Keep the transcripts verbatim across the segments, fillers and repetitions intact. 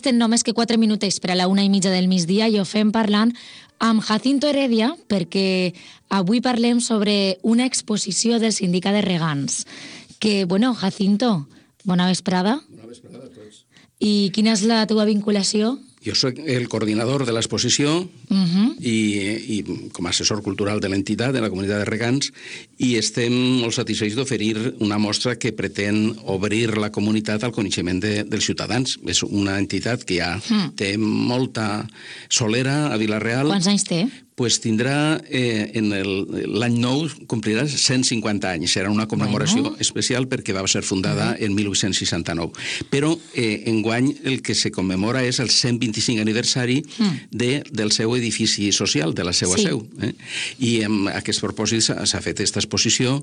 Estem només que quatre minutets per a la una i mitja del migdia i ho fem parlant amb Jacinto Heredia perquè avui parlem sobre una exposició del Sindicat de Regants. Que, bueno, Jacinto, bona vesprada. Bona vesprada a tots. I quina és la teva vinculació? Jo soc el coordinador de l'exposició uh-huh. i, i com a assessor cultural de l'entitat, de la comunitat de regants, i estem molt satisfets d'oferir una mostra que pretén obrir la comunitat al coneixement de, dels ciutadans. És una entitat que ja uh-huh. té molta solera a Vila-real. Quants anys té? Pues tindrà, eh, en l'any nou, complirà cent cinquanta anys. Serà una commemoració bueno. especial perquè va ser fundada uh-huh. en mil vuit-cents seixanta-nou. Però eh, enguany el que se commemora és el cent vint-i-cinc aniversari uh-huh. de, del seu edifici social, de la seva sí. seu. Eh? I amb aquest propòsit s'ha fet aquesta exposició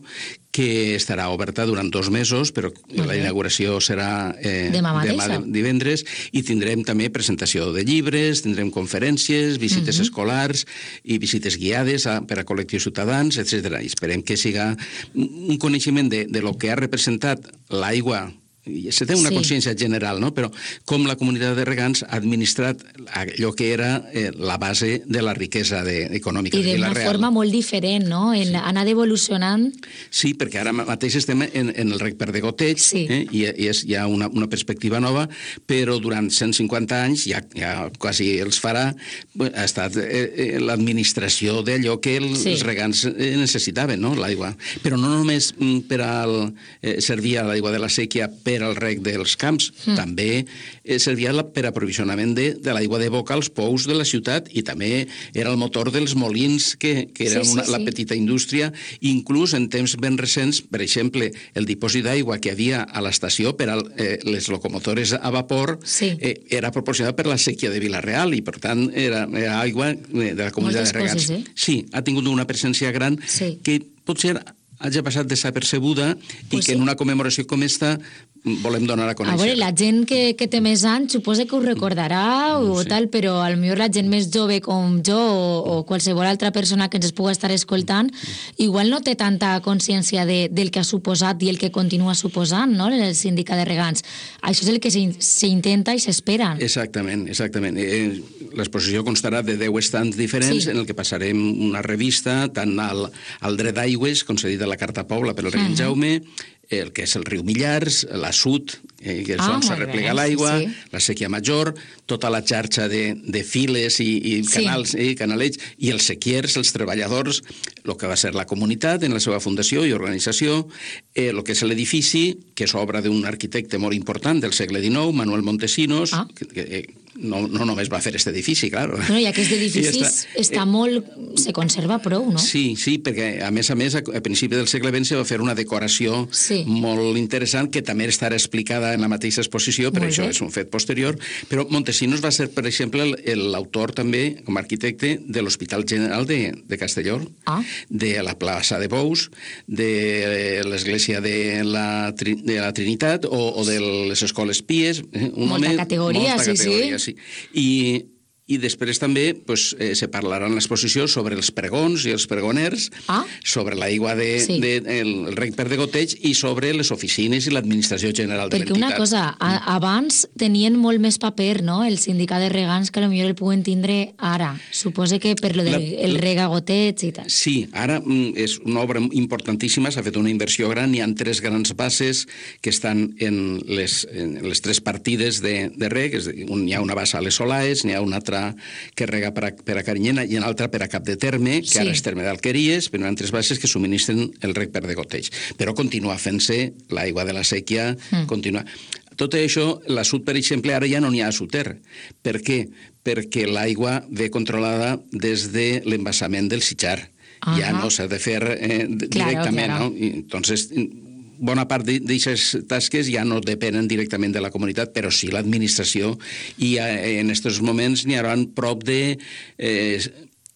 que estarà oberta durant dos mesos, però uh-huh. la inauguració serà eh, demà, demà divendres, i tindrem també presentació de llibres, tindrem conferències, visites uh-huh. escolars i visites guiades a, per a col·lectius ciutadans, etcètera. I esperem que siga un coneixement de, de lo que ha representat l'aigua. I se té una sí. consciència general, no? Però com la comunitat de regants ha administrat allò que era eh, la base de la riquesa de, econòmica de Vila-real. I d'una forma molt diferent, no? En, sí. Ha anat evolucionant. Sí, perquè ara mateix estem en, en el rec per de goteig, sí. eh? I, i és ja una, una perspectiva nova, però durant cent cinquanta anys, ja, ja quasi els farà, ha estat eh, l'administració d'allò que els sí. regants necessitaven, no? L'aigua. Però no només per al, eh, servia l'aigua de la sèquia per al rec dels camps, mm. també eh, servia per aprovisionament de, de l'aigua de boca als pous de la ciutat, i també era el motor dels molins, que, que era sí, una, sí, la sí. petita indústria. Inclús en temps ben recents, per exemple, el dipòsit d'aigua que havia a l'estació per a eh, les locomotores a vapor sí. eh, era proporcionat per la sèquia de Vila-real, i per tant era, era aigua de la comunitat de regants. Coses, eh? Sí, ha tingut una presència gran sí. que potser hagi passat desapercebuda pues i que sí. en una commemoració com esta volem donar a conèixer. A veure, la gent que, que té més anys suposa que ho recordarà o sí. tal, però potser la gent més jove com jo o, o qualsevol altra persona que ens pugui estar escoltant igual no té tanta consciència de, del que ha suposat i el que continua suposant, no?, el sindicat de regants. Això és el que s'intenta i s'espera. Exactament, exactament. Eh, l'exposició constarà de deu estants diferents sí. en el que passarem una revista tant al, al dret d'aigües, concedit a la Carta Pobla per el rei uh-huh. Jaume, el que és el riu Millars, la Sud, eh, que és ah, on s'arreplega l'aigua, sí, sí. la sèquia major, tota la xarxa de, de files i, i canals, sí. eh, canalets, i els sequiers, els treballadors, el que va ser la comunitat en la seva fundació i organització, eh, el que és l'edifici, que és obra d'un arquitecte molt important del segle dinou, Manuel Montesinos, ah. que, que no, no només va fer aquest edifici, clar. Bueno, I aquest edifici està, està eh, molt... se conserva prou, no? Sí, sí, perquè a més a més, a, a principi del segle vint se va fer una decoració sí. molt interessant, que també estarà explicada en la mateixa exposició, però això és un fet posterior. Però Montesinos va ser, per exemple, l'autor també, com a arquitecte, de l'Hospital General de, de Castelló, ah. de la plaça de Bous, de l'església de, la, de la Trinitat o, o de les escoles Pies. Un molta home, categoria, molta sí, categoria, sí. sí. I... I després també pues, eh, se parlarà en l'exposició sobre els pregons i els pregoners, ah? sobre l'aigua de, sí. de, el rec per de goteig i sobre les oficines i l'administració general de l'entitat. Perquè una cosa, a, abans tenien molt més paper, no?, el sindicat de regants, que potser el puguen tindre ara. Suposa que per lo del el reg a goteig i tal. Sí, ara és una obra importantíssima, s'ha fet una inversió gran, hi ha tres grans bases que estan en les, en les tres partides de, de reg, és dir, un, hi ha una bassa a les Solaes, n'hi ha una altra que rega per a, per a Carinyena i una altra per a Cap de Terme, que sí. ara és Terme d'Alqueries, però hi ha altres bases que subministren el reg per de goteig. Però continua fent-se l'aigua de la sèquia, mm. continua... Tot això, la Sud, per exemple, ara ja no n'hi ha a Suter. Per què? Perquè l'aigua ve controlada des de l'embassament del Sitjar. Uh-huh. Ja no s'ha de fer eh, directament, claro, claro. no? I, entonces... bona part d'aquestes tasques ja no depenen directament de la comunitat, però sí l'administració, i en aquests moments n'hi haurà prop de eh,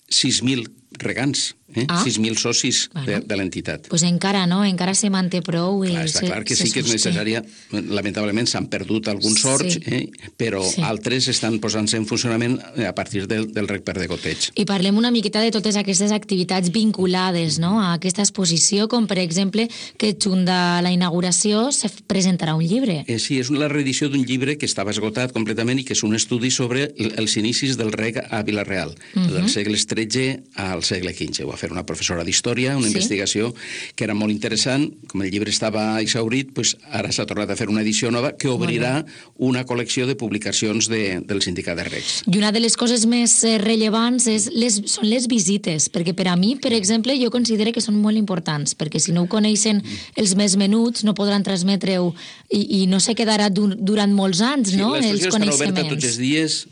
sis mil regants Eh? Ah. sis mil socis Bueno. de, de l'entitat. Pues encara no, encara se manté prou. I Clar, està se, clar que se sí que és sosté. necessària. Lamentablement s'han perdut alguns Sí. sorts, eh? però Sí. altres estan posant-se en funcionament a partir del, del rec per degoteig. I parlem una miqueta de totes aquestes activitats vinculades, no?, a aquesta exposició, com per exemple que junt de la inauguració se presentarà un llibre. Eh, sí, és la reedició d'un llibre que estava esgotat completament i que és un estudi sobre els inicis del rec a Vila-real, uh -huh. dels segles tretze al segle quinze. Ho va fer una professora d'història, una Sí. investigació que era molt interessant. Com el llibre estava exhaurit, pues ara s'ha tornat a fer una edició nova que obrirà una col·lecció de publicacions de, del Sindicat de Recs. I una de les coses més eh, rellevants és les, són les visites, perquè per a mi, per exemple, jo considero que són molt importants, perquè si no ho coneixen els més menuts no podran transmetre-ho i, i no se quedarà dur, durant molts anys, no?, Sí, els l'exposició està oberta tots coneixements. els dies.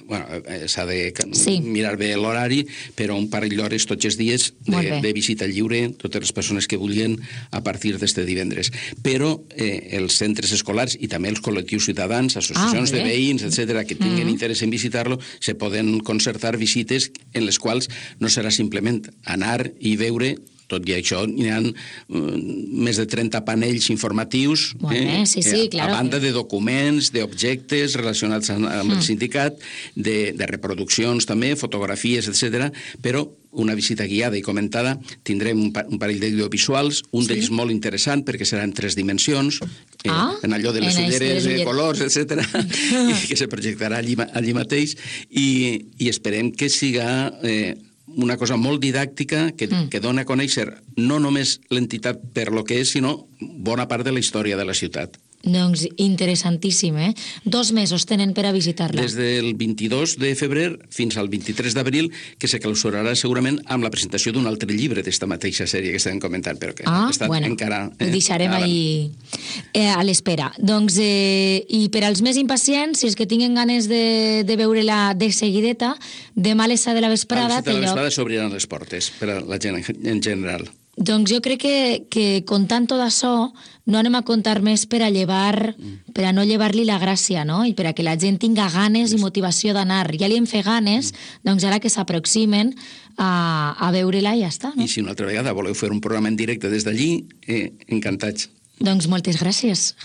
Bueno, s'ha de Sí. mirar bé l'horari, però un parell d'hores tots els dies Molt de, bé. de visita lliure, totes les persones que vulguin a partir d'este divendres. Però eh, els centres escolars i també els col·lectius ciutadans, associacions Ah, de molt bé. veïns, etcètera, que tinguin Mm. interès en visitar-lo, se poden concertar visites en les quals no serà simplement anar i veure. Tot i això, hi ha uh, més de trenta panells informatius, Molt bé, sí, sí, eh, claro. a banda de documents, d'objectes relacionats amb, amb el Mm. sindicat, de, de reproduccions també, fotografies, etcètera. Però una visita guiada i comentada, tindrem un, pa un parell d'audiovisuals, un Sí. d'ells molt interessant perquè serà en tres dimensions, eh, Ah, en allò de les en això de ulleres les de ulleres. colors, etcètera, i que se projectarà allí, ma- allí mateix, i, i esperem que siga eh, una cosa molt didàctica que, Mm. que dona a conèixer no només l'entitat per lo que és, sinó bona part de la història de la ciutat. Doncs interessantíssim, eh? Dos mesos tenen per a visitar-la. Des del vint-i-dos de febrer fins al vint-i-tres d'abril, que se clausurarà segurament amb la presentació d'un altre llibre d'esta mateixa sèrie que estem comentant, però que Ah, està bueno, encara... ho deixarem ara. ahí eh, a l'espera. Doncs, eh, i per als més impacients, si els que tinguen ganes de, de veure-la de seguideta, demà a les set de la A vesprada les set de té la lloc. vesprada s'obriran les portes per a la gent en general. Doncs jo crec que, que contant tot això no anem a contar més per a llevar, per a no llevar-li la gràcia, no? I per a que la gent tinga ganes i motivació d'anar. Ja li hem fet ganes, doncs ara que s'aproximen a, a veure-la i ja està, no? I si una altra vegada voleu fer un programa en directe des d'allí, eh, encantats. Doncs moltes gràcies,